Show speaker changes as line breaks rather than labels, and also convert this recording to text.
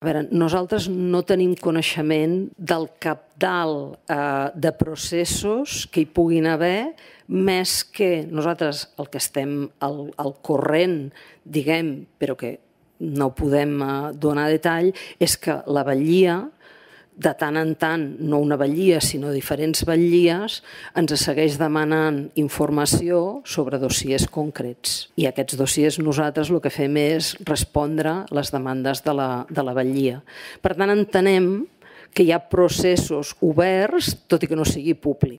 A veure, nosaltres no tenim coneixement del cabdal de processos que hi puguin haver, més que nosaltres el que estem al corrent, diguem, però que no podem donar detall, és que la batllia, de tant en tant, no una batllia, sinó diferents batllies, ens segueix demanant informació sobre dossiers concrets. I aquests dossiers nosaltres el que fem és respondre les demandes de la batllia. Per tant, entenem que hi ha processos oberts, tot i que no sigui públic.